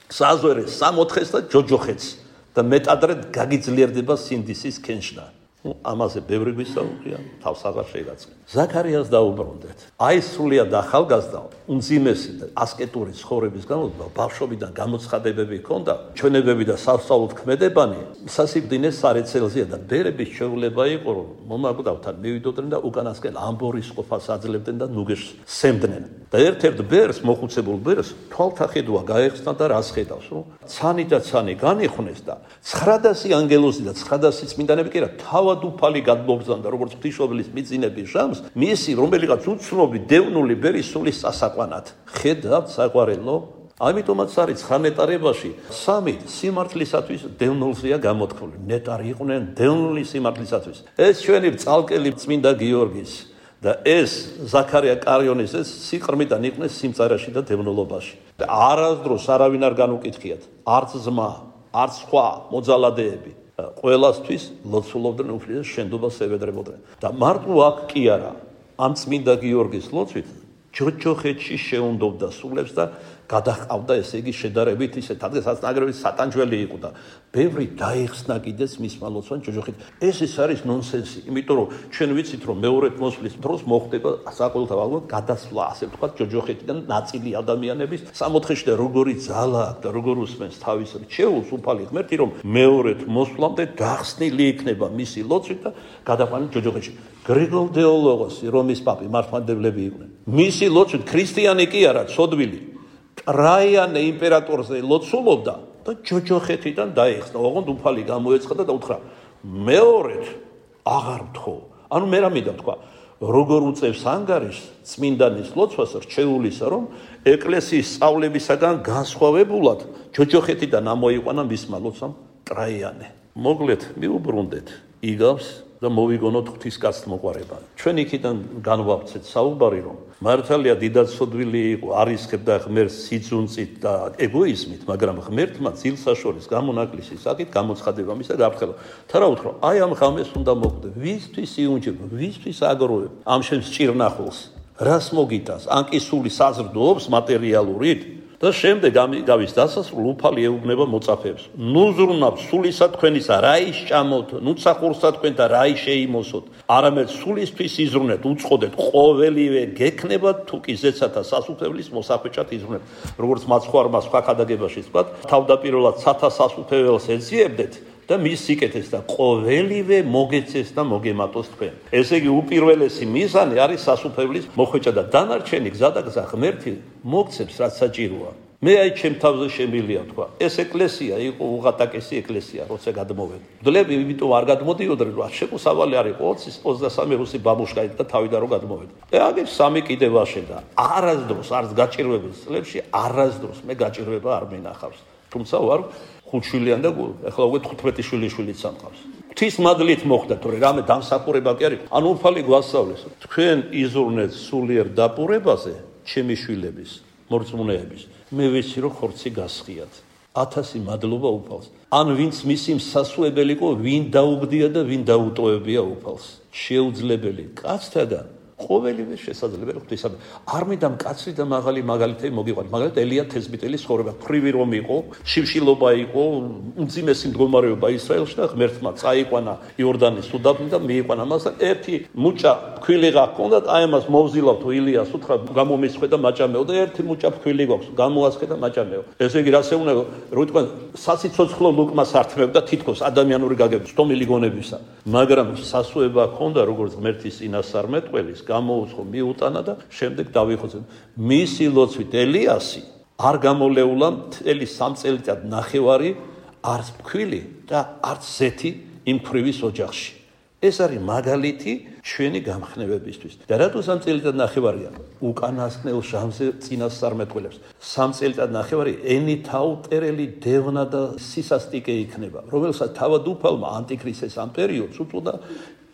საზვერეს, სამოთხეს და ჯოჯოხეთს და მეტადრე გაგიძლიერდება სინდისის კენშნა. ამაზე ბევრი გვისაუბრია, თავს აღარ შეიგაწყენ. ზაქარიას დაუბრუნდეთ. აი სრულიად ახალგაზრდა, უმძიმესი და ასკეტური ცხოვრების განმავლობაში ბავშვობიდან გამოცხადებები ჰქონდა, ჩვენებები და სასწაულთ ქმედებანი, სასიბდინეს სარეცელზეა და ბერების შეუძლება იყო, რომ მომაკვდავთან მივიდოდნენ და უკანასკენ ამბორის ყოფას აძლევდნენ და ნუგეშს სემდნენ. და ერთ-ერთ ბერს, მოხუცებულ ბერს, თვალთახედვა გაეხსნა და რას ხედავს, რომ ცანი და ცანი განიხვნეს და 900 ანგელოზი და 900 წმინდანები კი რა თავადუფალი გადმობრძანდა როგორც ღვთისმშობლის მიწინების ჟამს მისი რომელიღაც უცნობი დევნული ბერის სულის სასაყვანად ხედავთ საყვარელო ამიტომაც არის ხანეტარებაში სამი სიმართლისათვის დევნულზეა გამოთქმული ნეტარი იყვნენ დევნული სიმართლისათვის ეს ჩვენი წალკელი წმინდა გიორგის და ეს ზაქარია კარიონის ეს სიყრმიდან იყვნენ სიმწარაში და დევნულობაში და არასდროს არავინ არ განუკითხიათ არც ზმა არც სხვა მოძალადეები ყველასთვის ლოცულობდნენ უფლის შენდობას ევედრებოდნენ და მარტო აქ კი არა ამ წმინდა გიორგის ლოცვით ჯოჯოხეთში შეუნდობდა სულებს და გადაჰყავდა ესე იგი შედარებით ისე თადგესაც ნაგრევით სატანჯველი იყო და ბევრი დაიხსნა კიდეც მისმა ლოცვან ჯოჯოხეთ ეს არის ნონსენსი იმიტომ რომ ჩვენ ვიცით რომ მეორედ მოსვლის დროს მოხდება საყოველთაოდ გადასვლა ასე ვთქვათ ჯოჯოხეთიდან ნაწილი ადამიანების სამოთხეში და როგორი ძალა და როგორ უსმენს თავის რჩეულს უფალი ღმერთი რომ მეორედ მოსვლამდე გახსნილი იქნება მისი ლოცვით და გადაყვანა ჯოჯოხეთში გრიგოლ დეოლოგოსი რომის პაპი მართლმადიდებლები იყვნენ მისი ლოცვით ქრისტიანი კი არა ცოდვილი ტრაიანე იმპერატორზე ლოცულობდა და ჯოჯოხეთიდან დაიხსნა ოღონდ უფალი გამოეცხადა და უთხრა მეორედ აღარ ვთხოვ ანუ მე რამე და თქვა როგორ უწევს ანგარიშს წმინდანის ლოცვას რჩეულისა რომ ეკლესიის სწავლებისაგან განსხვავებულად ჯოჯოხეთიდან ამოიყვანა მისმა ლოცვამ ტრაიანე მოგლეთ მიუბრუნდეთ იგავს და მოვიგონოთ ღვთისკაცთ მოყვარება. ჩვენ იქიდან განვავრცეთ საუბარი რომ მართალია დიდად სოდვილი იყო არისხებდა ღმერთს სიძუნწით და ეგოიზმით, მაგრამ ღმერთმა ძილსაშორის გამონაკლისი საკით გამოცხადება მისა გაფრთხილება. თა რა უთქრო, აი ამ ღამეს უნდა მოკვდე, ვისთვის იუნჯება, ვისთვის აგროვებ ამ შენ სჭირნახულს, რას მოგიტას, ან კი სული საზრდოობს მატერიალურით და შემდეგ გავის დასასრულ უფალი ეუბნება მოწაფეებს. ნუ ზრუნავთ სულისა თქვენისა, რა ისჭამოთ, ნუ სახურსა თქვენთა რა შეიმოსოთ. არამედ სულისთვის იზრუნეთ, უწყოდეთ, ყოველივე გექნებათ, თუ კი ზეცათა სასუფეველის მოსახვეჭად იზრუნეთ. როგორც მაცხვარმა სხვა ქადაგებაში თქვა, თავდაპირველად სათა სასუფეველს ეძიებდეთ და მის სიკეთეს და ყოველივე მოგეცეს და მოგემატოს თქვენ. ესე იგი უპირველესი მიზანი არის სასუფეველის მოხვეჭა და დანარჩენი გზა და გზა ღმერთი მოგცემს რაც საჭიროა. მე აი ჩემ თავზე შემილია თქვა. ეს ეკლესია იყო უღატაკესი ეკლესია, როცა გადმოვედი. მდლები იმიტომ არ გადმოდიოდნენ, რომ შეკუსავალი არ იყო 20-23 რუსი ბაბუშკა და თავიდან რომ გადმოვედი. აგერ სამი კიდე ვაშენდა. არასდროს არც გაჭირვების წლებში არასდროს მე გაჭირვება არ მინახავს. თუმცა ვარ ხუთშვილიან და ახლა უკვე 15 შვილიშვილიც სამყავს. ღვთის მადლით მოხდა თორე რამე დამსახურება კი არის. ანუ უფალი გვასწავლეს. თქვენ იზრუნეთ სულიერ დაპურებაზე ჩემი შვილების, მორწმუნეების. მე ვიცი რომ ხორცი გასხიათ. 1000 მადლობა უფალს. ან ვინც მისი მსასუებელი იყო, ვინ დაუგდია და ვინ დაუტოვებია უფალს. შეუძლებელი კაცთაგან ყოველივე შესაძლებელი ღვთისადმი. არ მინდა მკაცრი და მაღალი მაგალითები მოგიყვანოთ. მაგალითად ელია თესბიტელის ცხოვრება, ფრივი რომ იყო, შიმშილობა იყო, უმძიმესი მდგომარეობა ისრაელში და ღმერთმა წაიყვანა იორდანის უდაბნო და მიიყვანა მასთან ერთი მუჭა ფქვილიღა ჰქონდათ, აი ამას მოვზილავთ ილიას უთხრა გამომისხვე და მაჭამეო და ერთი მუჭა ფქვილი გვაქვს, გამოასხე და მაჭამეო. ესე იგი რას ეუბნება, რომ თქვენ სასიცოცხლო ლუკმას ართმევდა თითქოს ადამიანური გაგებით, სტომილი გონებისა, მაგრამ სასუება ჰქონდა როგორც ღმერთის წინასწარმეტყველის გამოუცხო მიუტანა და შემდეგ დავიხოცე. მისი ლოცვით ელიასი არ გამოლეულა მთელი 3 წელიწად ნახევარი არც ფქვილი და არც ზეთი იმ ქვრივის ოჯახში. ეს არის მაგალითი ჩვენი გამხნევებისთვის. და რატო 3 წელიწად ნახევარია? უკანასკნელ ჟამზე წინასწარმეტყველებს. 3 წელიწად ნახევარი ენითაუტერელი დევნა და სისასტიკე იქნება, რომელსაც თავად უფალმა ანტიქრისტეს ამ პერიოდს უწოდა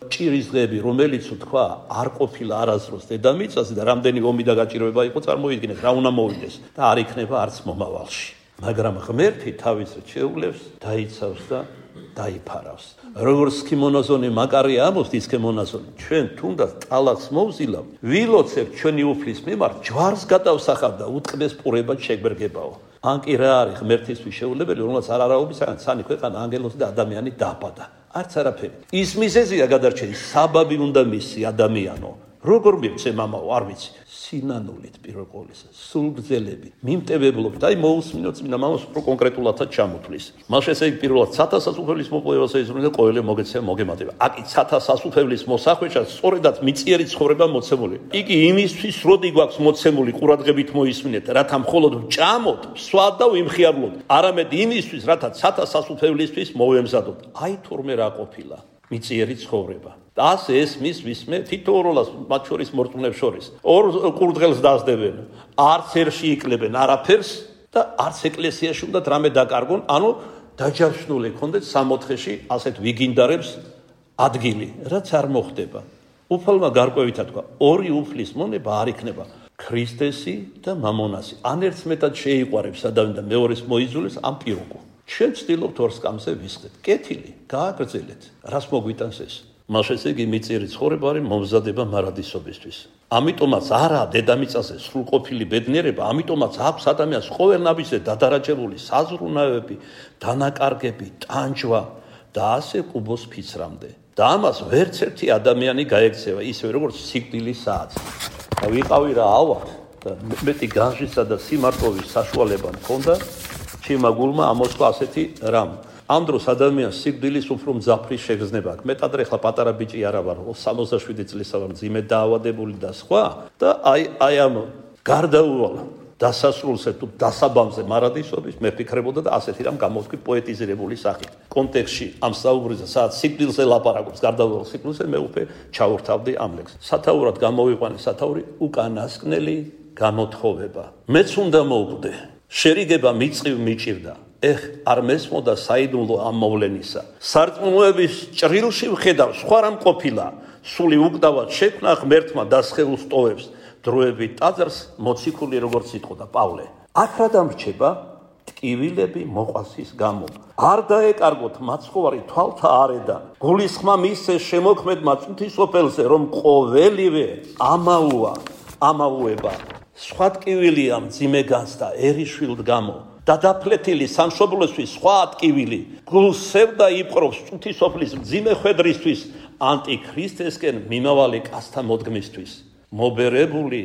ჭირის დღეები, რომელიც თქვა არ ყოფილა არასდროს დედამიწაზე და რამდენი ომი და გაჭირვება იყო წარმოიდგინეთ, რა უნდა მოვიდეს და არ იქნება არც მომავალში. მაგრამ ღმერთი თავის რჩეულებს დაიცავს და დაიფარავს. როგორც სქიმონოზონი მაკარია ამბობს, სქიმონოზონი, ჩვენ თუნდაც ტალახს მოვზილავ, ვილოცებ ჩვენი უფლის მიმართ, ჯვარს გადავსახავ და უტყდეს პურება შეგვერგებაო. ან კი რა არის ღმერთისთვის შეუძლებელი, რომელსაც არ არაობის სანი ქვეყანა ანგელოზი და ადამიანი დააბადა. არც არაფერი. ის მიზეზია გადარჩენი, საბაბი უნდა მისი ადამიანო. როგორ მივცე მამაო, არ ვიცი. სინანულით პირველ ყოვლისა, სულგრძელებით, მიმტევებლობით, აი მოусმინოთ წმინდა მამას უფრო კონკრეტულადაც ჩამოთვლის. მას ესე იგი პირველად სათა სასუფეველის მოპოვებას ეძღვნა და ყოველი მოგეცემა მოგემატება. აკი სათა სასუფეველის მოსახვეჭად სწორედაც მიწიერი ცხოვრება მოცემული. იგი იმისთვის როდი გვაქვს მოცემული ყურადღებით მოისმინეთ, რათა მხოლოდ ვჭამოთ, ვსვათ და ვიმხიარლოთ. არამედ იმისთვის, რათა სათა სასუფეველისთვის მოვემზადოთ. აი თურმე რა ყოფილა. მიწიერი ცხოვრება. და ასე ესმის ვისმე თითოეულას მათ შორის მორწმუნეებს შორის. ორ კურდღელს დასდებენ, არც ერში იკლებენ არაფერს და არც ეკლესიაში უნდა რამე დაკარგონ, ანუ დაჯავშნული ქონდეთ სამოთხეში ასეთ ვიგინდარებს ადგილი, რაც არ მოხდება. უფალმა გარკვევითა თქვა, ორი უფლის მონება არ იქნება. ქრისტესი და მამონასი. ან ერთს მეტად შეიყვარებს ადამიანი და მეორეს მოიძულებს ამ პირუკო. ჩვენ ვცდილობთ ორ სკამზე ვისხდეთ. კეთილი, გააგრძელეთ. რას მოგვიტანს ეს? მას ესე იგი მიწიერი ცხოვრება არის მომზადება მარადისობისთვის. ამიტომაც არა დედამიწაზე სრულყოფილი ბედნიერება, ამიტომაც აქვს ადამიანს ყოველნაბიჯზე დადარაჯებული საზრუნავები, დანაკარგები, ტანჯვა და ასე კუბოს ფიცრამდე. და ამას ვერც ერთი ადამიანი გაექცევა, ისევე როგორც სიკვდილის საათს. და ვიყავი რა ავარ და მეტი განშისა და სიმარტოვის საშუალება მქონდა, ჩემმა გულმა ამოსვა ასეთი რამ. ამ დროს ადამიანს სიკვდილის უფრო მძაფრი შეგრძნება აქვს. მეტად ახლა პატარა ბიჭი არა ვარ, 67 წლისა ვარ, მძიმე დაავადებული და სხვა და აი ამ გარდაუვალ დასასრულზე თუ დასაბამზე მარადისობის მე ფიქრებოდა და ასეთი რამ გამოვთქვი პოეტიზირებული სახით. კონტექსტში ამ საუბრზე სადაც სიკვდილზე ლაპარაკობს, გარდაუვალ სიკვდილზე მე უკვე ჩაურთავდი ამ ლექსს. სათაურად გამოვიყვანე სათაური უკანასკნელი გამოთხოვება. მეც უნდა მოვკვდე. შერიგება მიწყივ მიჭირდა. ეხ არ მესმოდა საიდუმლო ამ მოვლენისა. სარწმუნოების ჭრილში ვხედავ სხვა რამ ყოფილა. სული უკდავად შექმნა ღმერთმა დასხეულ სტოვებს. დროები ტაძარს მოციქული როგორც იტყოდა პავლე. აქ რა დამრჩება? ტკივილები მოყვასის გამო. არ დაეკარგოთ მაცხოვარი თვალთა არედან. გულისხმა მისცე შემოქმედმა წუთისოფელზე, რომ ყოველივე ამაუება. სხვა ტკივილია მძიმე განცდა ერიშვილთ გამო. დადაფლეთილი სამშობლოსთვის სხვა ტკივილი. გულსევდა იპყრობს წუთისოფლის მძიმე ხვედრისთვის, ანტიქრისტესკენ მიმავალი კაცთა მოდგმისთვის. მობერებული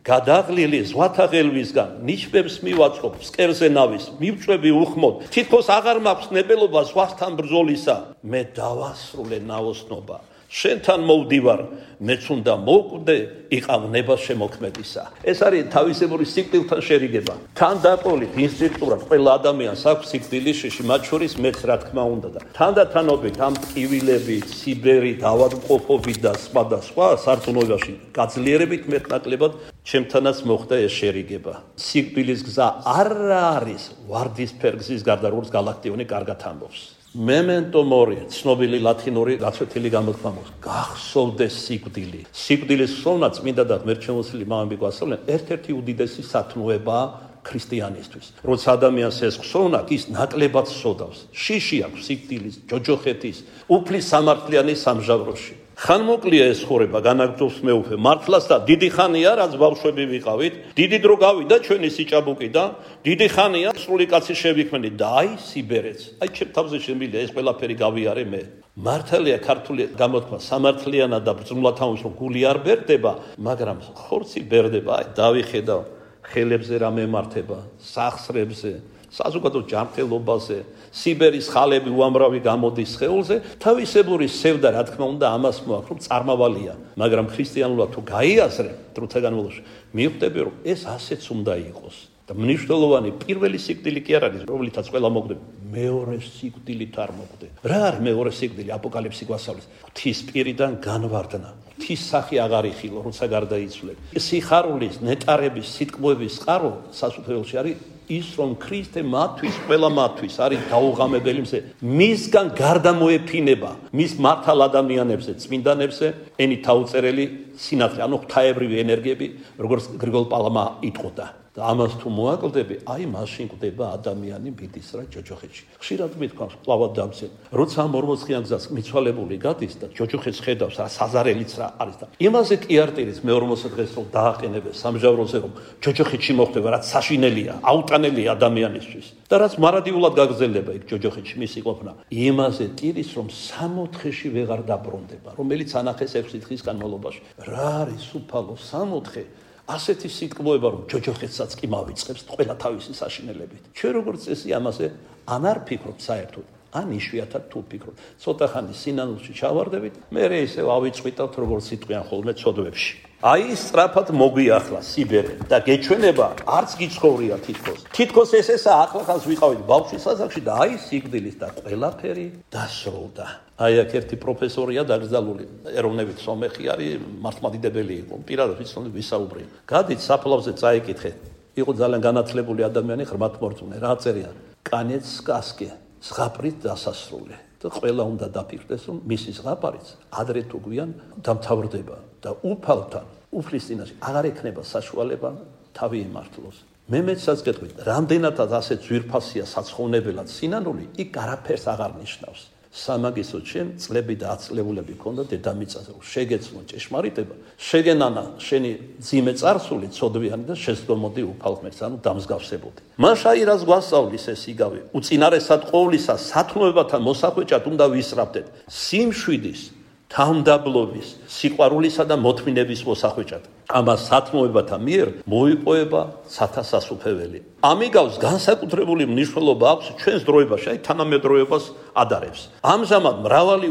გადაღლილი ზღვათა ღელვისგან ნიშნებს მივაწყობ ფსკერზე ნავის მივწვევი უხმოდ თითქოს აღარ მაქვს ნებელობა ზღვასთან ბრძოლისა მე დავასრულე ნაოსნობა შენთან მოვდივარ მეც უნდა მოვკვდე იყავნება შემოქმედისა ეს არის თავისებური სიკვდილთან შერიგება თან დაკოლით ინსტინქტურად ყველა ადამიანს აქვს სიკვდილის შეში მათ შორის მეც რა თქმა უნდა და თანდათანობით ამ ტკივილები სიბერი დავადმყოფობით და სხვა სარწმუნოებაში გაძლიერებით მეტნაკლებად ჩემთანაც მოხდა ეს შერიგება სიკვდილის გზა არ არის ვარდისფერ გზის გარდა როგორც გალაქტიონი კარგად ამბობს Memento mori, ცნობილი ლათინური გაცვეთილი გამოთქმა მოხდა. გახსოვდეს სიკვდილი. სიკვდილის ხსოვნა წმინდა და ღმერთშემოსილი მამები გვასწავლენ, ერთ-ერთი უდიდესი სათნოებაა ქრისტიანისთვის. როცა ადამიანს ეს ხსოვნა, ის ნაკლებად სოდავს. შიში აქვს სიკვდილის, ჯოჯოხეთის, უფლის სამართლიანი სამჟავროში. ხანმოკლია ეს ხორება, განაგრძობს მეუფე. მართლაც და დიდი ხანია, რაც ბავშვები ვიყავით, დიდი დრო გავიდა ჩვენი სიჭაბუკიდან, დიდი ხანია სრული კაცი შევიქმნით და აი სიბერეც. აი ჩემ თავზე შემილია ეს ყველაფერი გავიარე მე. მართალია ქართული გამოთქმა სამართლიანად და ბრძნულად ამბობს, რომ გული არ ბერდება, მაგრამ ხორცი ბერდება. აი დავიხედავ ხელებზე რა მემართება, სახსრებზე, საზოგადო ჯანმრთელობაზე, სიბერის ხალები უამრავი გამოდის სხეულზე, თავისებური სევდა რა თქმა უნდა ამას მოაქვს, რომ წარმავალია, მაგრამ ქრისტიანულად თუ გაიაზრებ დროთა განმავლობაში, მიხვდები რომ ეს ასეც უნდა იყოს. და მნიშვნელოვანი პირველი სიკვდილი კი არ არის, რომლითაც ყველა მოკვდება, მეორე სიკვდილით არ მოკვდე. რა არის მეორე სიკვდილი? აპოკალიფსი გვასწავლის. ღვთის პირიდან განვარდნა. ღვთის სახე აღარ იხილო, როცა გარდაიცვლებ. სიხარულის, ნეტარების, სიტყვების წყარო სასუფეველში არის ის რომ ქრისტე მათთვის, ყველა მათთვის არის დაუღამებელი მზე. მისგან გარდა მოეფინება მის მართალ ადამიანებზე, წმინდანებზე, ენით აუწერელი სინათლე, ანუ ღვთაებრივი ენერგიები, როგორც გრიგოლ პალმა იტყოდა. და ამას თუ მოაკლდები, აი მაშინ კვდება ადამიანი მიდის რა ჯოჯოხეთში. ხშირად მithქვამს, კლავად დამცენ. როცა ამ 40-იან გზას მიცვალებული გადის და ჯოჯოხეთს ხედავს, რა საზარელიც რა არის და იმაზე კი არ ტირის მე-40 დღეს რომ დააყენებენ სამჟავროზე რომ ჯოჯოხეთში მოხდება, რაც საშინელია, აუტანელია ადამიანისთვის. და რაც მარადიულად გაგრძელდება იქ ჯოჯოხეთში მისი ყოფნა. იმაზე ტირის რომ 60-ში ვეღარ დაბრუნდება, რომელიც ანახეს 6 დღის განმავლობაში. რა არის უფალო 60? ასეთი სიტყვოება რომ ჯოჯოხეთსაც კი მავიწყებს ყველა თავისი საშინელებით. ჩვენ როგორც წესი ამაზე ან არ ფიქრობთ საერთოდ, ან იშვიათად თუ ვფიქრობ. ცოტა ხანი სინანულში ჩავარდებით, მე ისევ ავიწყვიტავთ როგორც სიტყვიან ხოლმე ცოდვებში. აი სწრაფად მოგვიახლა სიბერე და გეჩვენება არც გიცხოვრია თითქოს. თითქოს ესეა ახლახანს ვიყავით ბავშვის ასაკში და აი სიკვდილის და ყველაფერი დასრულდა. აი აქ ერთი პროფესორია დაკრძალული, ეროვნებით სომეხი არის, მართლმადიდებელი იყო, პირადად ვიცნობ ვისაუბრე. გადით საფლავზე წაიკითხე. იყო ძალიან განათლებული ადამიანი, ღრმათმორწმუნე, რა წერია? კანეც սկასკე, ზღაპრით დასასრული. და ყველა უნდა დაფიქრდეს, რომ მისი ზღაპარიც ადრე თუ გვიან დამთავრდება და უფალთან, უფლის წინაშე აღარ ექნება საშუალება თავი ემართლოს. მე მეცაც გეტყვით, რამდენადაც ასე ძვირფასია საცხოვნებელად სინანული, იქ არაფერს აღარ ნიშნავს. სამაგისტრო ჩემ წლები და აწლეულები ქონდა დედამიწაზე, შეგეცნო ჭეშმარიტება, შეგენანა შენი ძიმე წარსული ცოდვიანი და შეცდომოდი უფალ ღმერთს, ანუ დამსგავსებოდი. მაშ აი რას გვასწავლის ეს იგავი, უწინარესად ყოვლისა სათნოებათა მოსახვეჭად უნდა ვისწრაფდეთ, სიმშვიდის, თავმდაბლობის, სიყვარულისა და მოთმინების მოსახვეჭად. ამას სათნოებათა მიერ მოიპოვება სათასასუფეველი. ამიგავს განსაკუთრებული მნიშვნელობა აქვს ჩვენს დროებაში, აი თანამედროვეობას ადარებს. ამჟამად მრავალი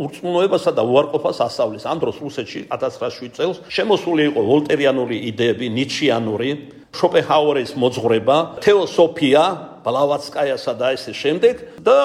ურწმუნოებასა და უარყოფას ასწავლის. ამ დროს რუსეთში 1907 წელს შემოსული იყო ვოლტერიანული იდეები, ნიჩიანური, შოპენჰაუერის მოძღვრება, თეოსოფია, ბლავატსკაიასა და ესე შემდეგ და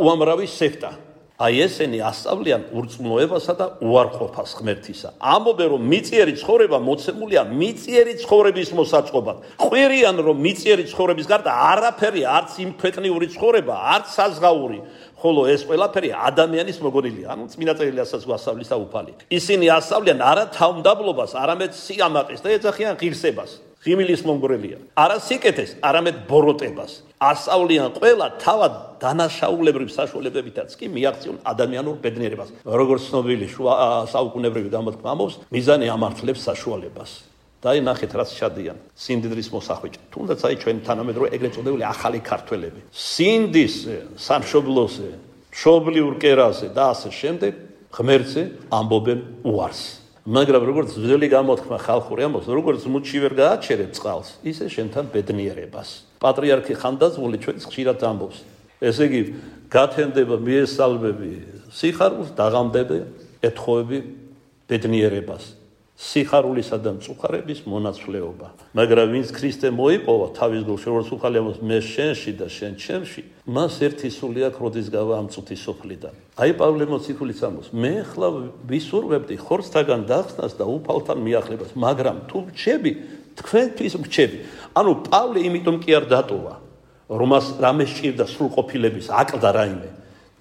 უამრავი სექტა. აი ესენი ასწავლიან ურწმუნოებასა და უარყოფას ღმერთისა. ამბობენ რომ მიწიერი ცხოვრება მოცემულია მიწიერი ცხოვრების მოსაწყობად. ყვირიან რომ მიწიერი ცხოვრების გარდა არაფერი არც იმ ქვეყნიური ცხოვრება, არც საზღაური, ხოლო ეს ყველაფერი ადამიანის მოგონილია. ანუ წმინდა წერილი ასაც გვასწავლის და უფალი. ისინი ასწავლიან არა თავმდაბლობას, არამედ სიამაყეს და ეძახიან ღირსებას. ღიმილის მომგვრელია. არა სიკეთეს, არამედ ბოროტებას. ასწავლიან ყველა თავად დანაშაულებრივ საშუალებებითაც კი მიაღწიონ ადამიანურ ბედნიერებას. როგორც ცნობილი შუა საუკუნეებრივი გამოთქმა ამბობს, მიზანი ამართლებს საშუალებას. და აი ნახეთ რაც ჩადიან სიმდიდრის მოსახვეჭად. თუნდაც აი ჩვენი თანამედროვე ეგრეთ წოდებული ახალი ქართველები. სინდის სამშობლოზე, მშობლიურ კერაზე და ასე შემდეგ ღმერთზე ამბობენ უარს. მაგრამ როგორც ძველი გამოთქმა ხალხური ამბობს, როგორც მუდში ვერ გააჩერებ წყალს, ისე შენთან ბედნიერებას. პატრიარქი ხანდაზმული ჩვენს ხშირად ამბობს. ესე იგი, გათენდება მიესალმები სიხარულს, დაღამდება ეთხოვები ბედნიერებას. სიხარულისა და მწუხარების მონაცვლეობა. მაგრამ ვინც ქრისტე მოიპოვა თავის გულში, როგორც უხალე ამბობს, მე შენში და შენ ჩემში, მას ერთი სული აქვს, როდის გავა ამ წუთის სოფლიდან. აი პავლე მოციქულიც ამბობს, მე ახლა ვისურვებდი ხორცთაგან დახსნას და უფალთან მიახლებას, მაგრამ თუ რჩები, თქვენთვის რჩები. ანუ პავლე იმიტომ კი არ დატოვა, რომას რამე სჭირდა სრულყოფილების აკლდა რაიმე.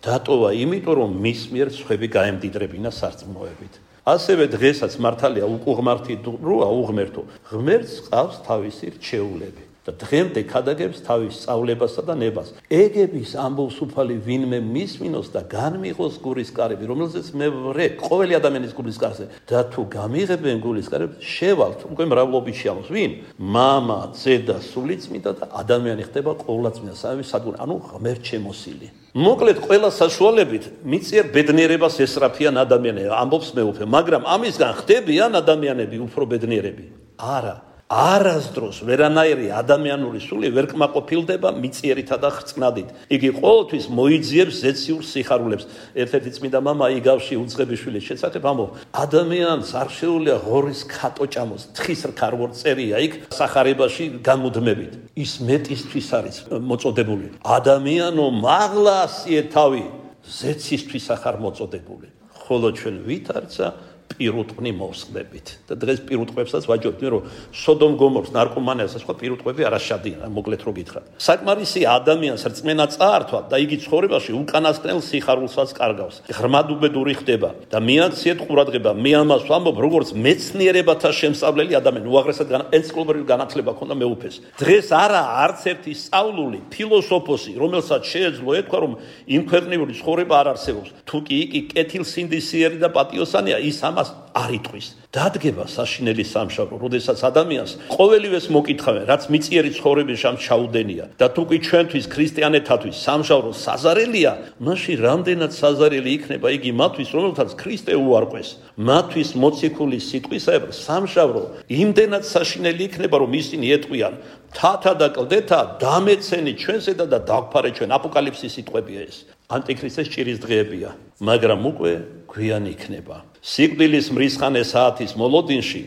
დატოვა იმიტომ, რომ მის მიერ სხვები გაემდიდრებინა სარწმუნოებით. ასევე დღესაც მართალია უკუღმართი დროა უღმერთო. ღმერთს ყავს თავისი რჩეულები და დღემდე ქადაგებს თავის სწავლებასა და ნებას. ეგების ამბობს უფალი ვინმე მისმინოს და განმიღოს გულის კარები, რომელზეც მე ვრე ყოველი ადამიანის გულის კარზე და თუ გამიღებენ გულის კარებს, შევალთ უკვე მრავლობაში ამბობს ვინ? მამა, ძე და სულიწმიდა და ადამიანი ხდება ყოვლადწმინდა სამების სადგური, ანუ ღმერთ შემოსილი. მოკლედ ყველა საშუალებით მიწიერ ბედნიერებას ესწრაფიან ადამიანები, ამბობს მეუფე, მაგრამ ამისგან ხდებიან ადამიანები უფრო ბედნიერები? არა. არასდროს ვერანაირი ადამიანური სული ვერ კმაყოფილდება მიწიერითა და ხრწნადით. იგი ყოველთვის მოიძიებს ზეციურ სიხარულებს. ერთ-ერთი წმინდა მამა იგავში უძღებიშვილის შესახებ ამბობს, ადამიანს არ შეუძლია ღორის ქატო ჭამოს, თხის რქა როგორ წერია იქ სახარებაში გამუდმებით. ის მეტისთვის არის მოწოდებული. ადამიანო მაღლასიე თავი, ზეცისთვის ახარ მოწოდებული. ხოლო ჩვენ ვითარცა პირუტყვი მოვსხდებით. და დღეს პირუტყვებსაც ვაჯობთ, რომ სოდომ გომორს, ნარკომანიას სხვა პირუტყვები არ აშადიან, მოკლედ რო გითხრათ. საკმარისია ადამიანს რწმენა წაართვა და იგი ცხოვრებაში უკანასკნელ სიხარულსაც კარგავს. ღრმადუბედური ხდება და მიაქციეთ ყურადღება. მე ამას ვამბობ, როგორც მეცნიერებათა შემსწავლელი ადამიანი, უაღრესად ენციკლოპედიური განათლება ქონდა მეუფეს. დღეს არა არც ერთი სწავლული ფილოსოფოსი, რომელსაც შეეძლო ეთქვა, რომ იმ ქვეყნიური ცხოვრება არ არსებობს. თუ კი იგი კეთილსინდისიერი და პატიოსანია, ის ამას ამას არ იტყვის. დადგება საშინელი სამშაბლო, როდესაც ადამიანს ყოველივეს მოკითხავენ, რაც მიწიერი ცხოვრების შამ ჩაუდენია და თუ კი ჩვენთვის ქრისტიანეთათვის სამშაბლო საზარელია, მაშინ რამდენად საზარელი იქნება იგი მათთვის, რომელთაც ქრისტე უარყვეს. მათთვის მოციქული სიტყვისაებრ სამშაბლო იმდენად საშინელი იქნება, რომ ისინი ეტყვიან: თათა და კლდეთა დამეცენი ჩვენსედა და დაგფარე ჩვენ. აპოკალიფსის სიტყვებია ეს. ანტიქრისტეს ჭირის დღეებია, მაგრამ უკვე გვიანი იქნება. სიკვდილის მრისხანე საათის მოლოდინში,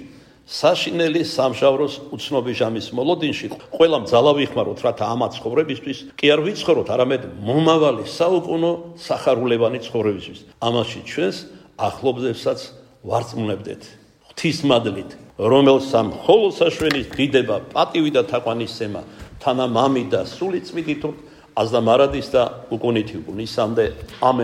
საშინელი სამშაბლოს უცნობი ჟამის მოლოდინში, ყველამ ძალა ვიხმაროთ, რათა ამათ ცხოვრებისთვის კი არ ვიცხოვროთ, არამედ მომავალი საუკუნო სახარულებანი ცხოვრებისთვის. ამაში ჩვენს ახლობლებსაც ვარწმუნებდეთ ღვთისმადლით, რომელსა მხოლოდ საშვენის დიდება, პატივი და თაყვანისცემა, თანა მამი და სული წმინდით აზდა მარადის და უკუნითი უკუნისამდე. ამენ.